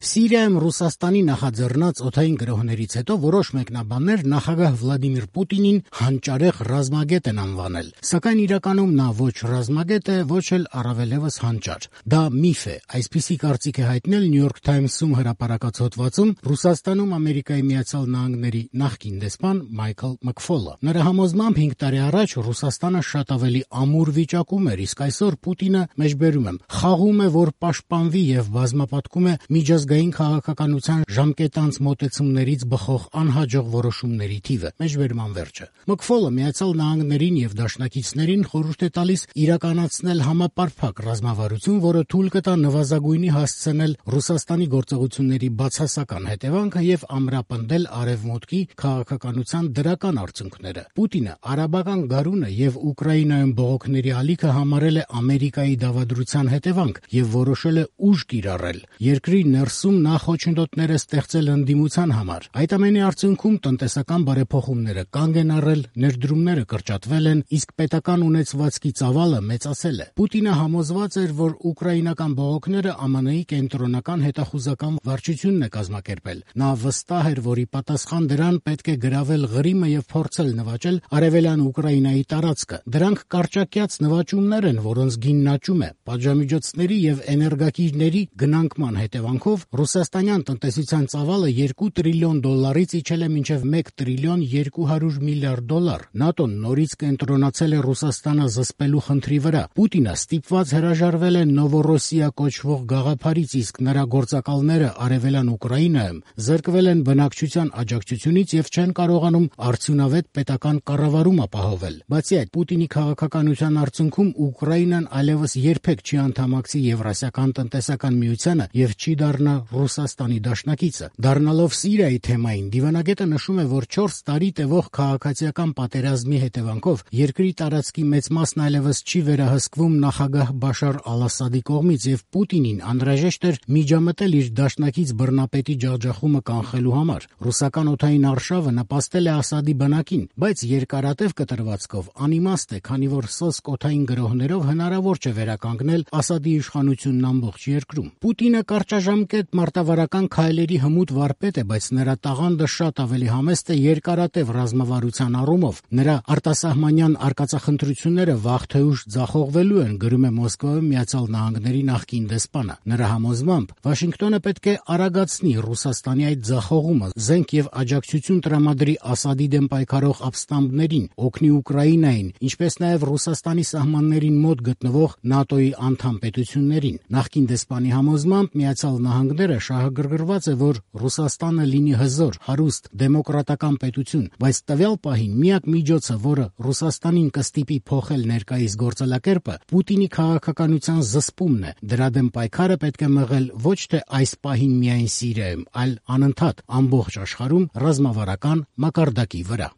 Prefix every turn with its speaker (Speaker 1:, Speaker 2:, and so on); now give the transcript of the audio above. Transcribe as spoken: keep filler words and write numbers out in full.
Speaker 1: Սիրիայում Ռուսաստանի նախաձեռնած օդային գրոհներից հետո որոշ մեկնաբաններ նախագահ Վլադիմիր Պուտինին հանճարեղ ռազմագետ են անվանել, սակայն իրականում նա ոչ ռազմագետ է, ոչ էլ առավելևս հանճար։ Դա միֆ է, այսպիսի կարծիք է հայտնել New York Times-ում հրապարակած հոդվածում Ռուսաստանում Ամերիկայի Միացյալ Նահանգների նախկին դեսպան Մայքլ Մքֆոլը։ Նրա համոզմամբ հինգ տարի առաջ Ռուսաստանը շատ ավելի ամուր վիճակում էր, իսկ այսօր Պուտինը, մեջբերում եմ, խաղում է, որ պաշտպանվի եւ բազմապատկում է միջազգային քաղաքականության ժամկետանց մոտեցումներից բխող անհաջող որոշումների թիվը։ Մեջբերման վերջը։ Մքֆոլը Միացյալ Նահանգներին եւ դաշնակիցներին խորհուրդ է տալիս իրականացնել համապարփակ ռազմավարություն, որը թույլ կտա նվազագույնի հասցնել Ռուսաստանի գործողությունների բացասական հետևանքը եւ ամրապնդել արևմուտքի քաղաքականության դրական արդյունքները։ Պուտինը արաբական գարունը եւ Ուկրաինայում բողոքների ալիքը համարել է Ամերիկայի դավադրության հետևանք եւ որոշել է ուժ կիրառել։ Երկրի ներսում նա խոչընդոտներ է ստեղծել ընդդիմության համար։ Այդ ամենի արդյունքում տնտեսական բարեփոխումները կանգ են առել, ներդրումները կրճատվել են, իսկ պետական ունեցվածքի ծավալը մեծացել է։ Պուտինը համոզված էր, որ ուկրաինական բողոքները ԱՄՆ-ի կենտրոնական հետախուզական վարչությունն է կազմակերպել։ Նա վստահ էր, որ ի պատասխան դրան պետք է գրավել Ղրիմը եւ փորձել նվաճել արևելյան Ուկրաինայի տարածքը։ Դրանք կարճակյաց նվաճումներ են, որոնց գինն աճում է։ Պատժամիջոցների եւ էներգակիրների գնանկման հետևանքով ռուսաստանյան տնտեսության ծավալը երկու տրիլիոն դոլարից իջել է մինչև մեկ տրիլիոն երկու հարյուր միլիարդ դոլար։ ՆԱՏՕ-ն նորից կենտրոնացել է Ռուսաստանը զսպելու խնդրի վրա։ Պուտինը ստիպված հրաժարվել է Նովորոսիա կոչվող գաղափարից, իսկ նրա գործակալները արևելյան Ուկրաինայում զրկվել են բնակչության աջակցությունից եւ չեն կարողանում արդյունավետ պետական կառավարում ապահովել։ Բացի այդ, Պուտինի քաղաքականության արդյունքում Ուկրաինան այլևս երբեք չի անդամակցի Եվրասիական տնտեսական միությանը եւ չի դառնա Ռուսաստանի դաշնակիցը։ Դառնալով Սիրիայի թեմային, դիվանագետը նշում է, որ չորս տարի տևող քաղաքացիական պատերազմի հետևանքով երկրի տարածքի մեծ մասն այլևս չի վերահսկվում նախագահ Բաշար Ալ-Ասադի կողմից եւ Պուտինին անհրաժեշտ էր միջամտել իր դաշնակից բռնապետի ջախջախումը կանխելու համար։ Ռուսական օդային արշավը նպաստել է Ասադի բանակին, բայց երկարատև կտրվածքով անիմաստ է, քանի որ սոսկ օդային գրոհներով հնարավոր չէ վերականգնել Ասադի իշխանությունն ամբողջ երկրում։ Պուտինը կարճաժամկետ մարտավարական քայլերի հմուտ վարպետ է, բայց նրա տաղանդը շատ ավելի համեստ է երկարատև ռազմավարության առումով։ Նրա արտասահմանյան արկածախնդրությունները վաղ թե ուշ ձախողվելու են, գրում է Մոսկվայում Միացյալ Նահանգների նախկին դեսպանը։ Նրա համոզմամբ Վաշինգտոնը պետք է արագացնի Ռուսաստանի այդ ձախողումը, զենք եւ աջակցություն տրամադրի Ասադի դեմ պայքարող ապստամբներին, օգնի Ուկրաինային, ինչպես նաեւ Ռուսաստանի սահմաններին մոտ գտնվող ՆԱՏՕ-ի անդամ պետություններին։ Նախկին դեսպանի համոզմամբ Միացյալ Նահանգները շահագրգռված է, որ Ռուսաստանը լինի հզոր, հարուստ, դեմոկրատական պետություն, բայց տվյալ պահին միակ միջոցը, որը Ռուսաստանին կստիպի փոխել ներկայիս գործելակերպը, Պուտինի քաղաքականության զսպումն է։ Դրա դեմ պայքարը պետք է մղել ոչ թե այս պահին միայն Սիրիայում, այլ անընդհատ ամբողջ աշխարհում ռազմավարական մակարդակի վրա։